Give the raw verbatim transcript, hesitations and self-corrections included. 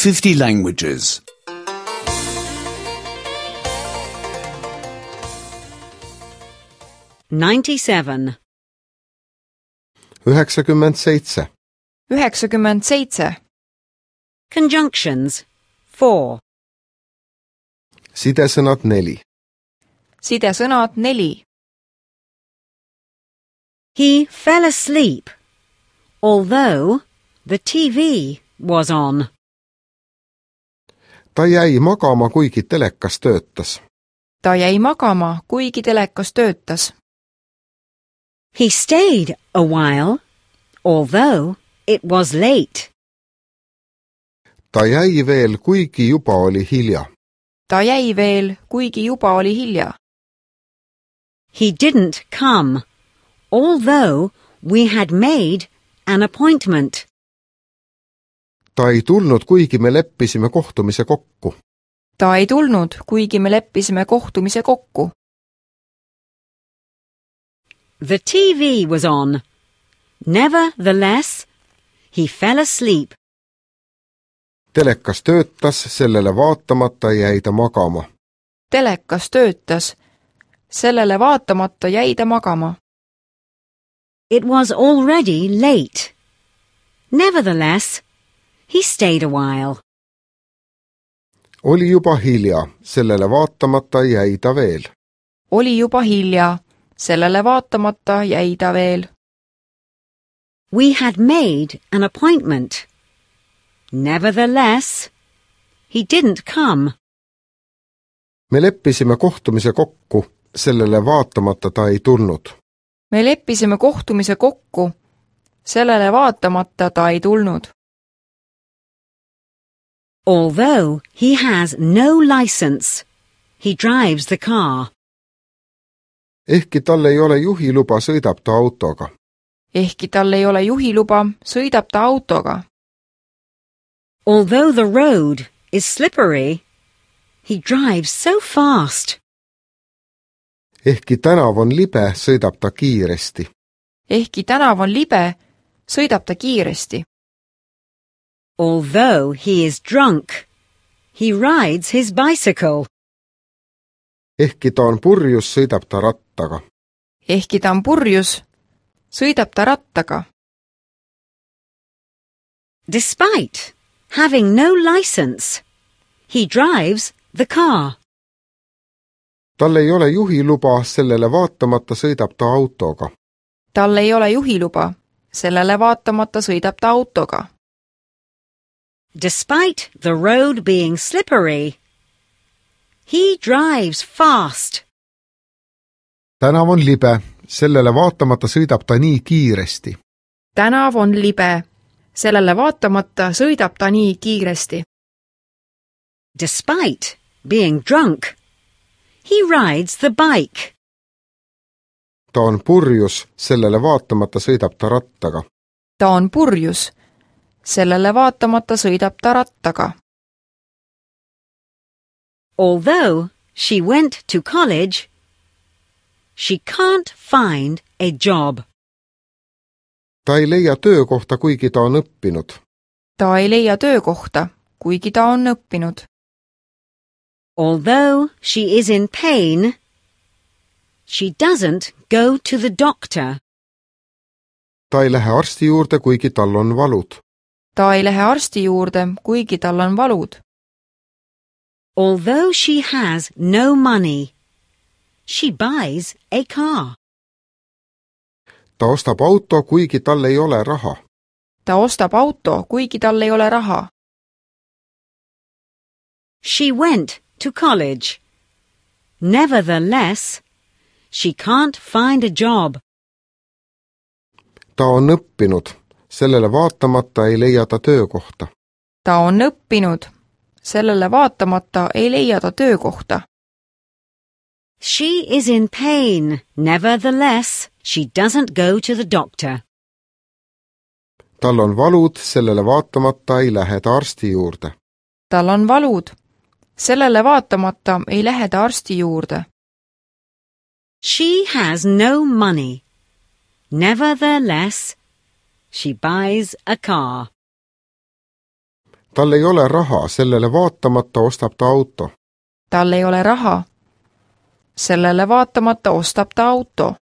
fifty languages. ninety-seven. üheksakümmend seitse. üheksakümmend seitse. Conjunctions. Four. Sidesõnad neli. Sidesõnad neli. He fell asleep, although the T V was on. Ta jäi magama, kuigi telekas töötas. Ta jäi magama, kuigi telekas töötas. He stayed a while, although it was late. Ta jäi veel, kuigi juba oli hilja. Ta jäi veel, kuigi juba oli hilja. He didn't come, although we had made an appointment. Ta ei tulnud, kuigi me leppisime kohtumise kokku. Ta ei tulnud, kuigi me leppisime kohtumise kokku. The T V was on. Nevertheless, he fell asleep. Telekas töötas, sellele vaatamata jäi ta magama. Telekas töötas, sellele vaatamata jäi ta magama. It was already late. Nevertheless, he stayed a while. Oli juba hilja, sellele vaatamata jäi ta veel. Oli juba hilja, sellele vaatamata jäi ta veel. We had made an appointment. Nevertheless, he didn't come. Me leppisime kohtumise kokku, sellele vaatamata ta ei tulnud. Me leppisime kohtumise kokku, sellele vaatamata ta ei tulnud. Although he has no license, he drives the car. Ehkki tal ei ole juhiluba, sõidab ta autoga. Ehkki tal ei ole juhiluba, sõidab ta autoga. Although the road is slippery, he drives so fast. Ehkki tänav on libe, sõidab ta kiiresti. Ehkki tänav on libe, sõidab ta kiiresti. Although he is drunk, he rides his bicycle. Ehkki ta on purjus, sõidab ta rattaga. Ehkki ta on purjus, sõidab ta rattaga. Despite having no license, he drives the car. Tal ei ole juhiluba, sellele vaatamata sõidab ta autoga. Tal ei ole juhiluba, sellele vaatamata sõidab ta autoga. Despite the road being slippery, he drives fast. Tänav on libe, sellele vaatamata sõidab ta nii kiiresti. Tänav on libe, sellele vaatamata sõidab ta nii kiiresti. Despite being drunk, he rides the bike. Ta on purjus, sellele vaatamata sõidab ta rattaga. Ta on purjus, sellele vaatamata sõidab ta rattaga. Although she went to college, she can't find a job. Ta ei leia töökohta, kuigi ta on õppinud. Ta ei leia töökohta, kuigi ta on õppinud. Although she is in pain, she doesn't go to the doctor. Ta ei lähe arsti juurde, kuigi tal on valud. Ta ei lähe arsti juurde, kuigi tal on valud. Although she has no money, she buys a car. Ta ostab auto, kuigi tal ei ole raha. Ta ostab auto, kuigi tal ei ole raha. She went to college. Nevertheless, she can't find a job. Ta on õppinud, sellele vaatamata ei leia ta töökohta. Ta on õppinud, sellele vaatamata ei leia ta töökohta. She is in pain. Nevertheless, she doesn't go to the doctor. Tal on valud, sellele vaatamata ei lähe ta arsti juurde. Tal on valud, sellele vaatamata ei lähe ta arsti juurde. She has no money. Nevertheless, she buys a car. tal ei ole raha, sellele vaatamata ostab ta auto. tal ei ole raha. sellele vaatamata ostab ta auto.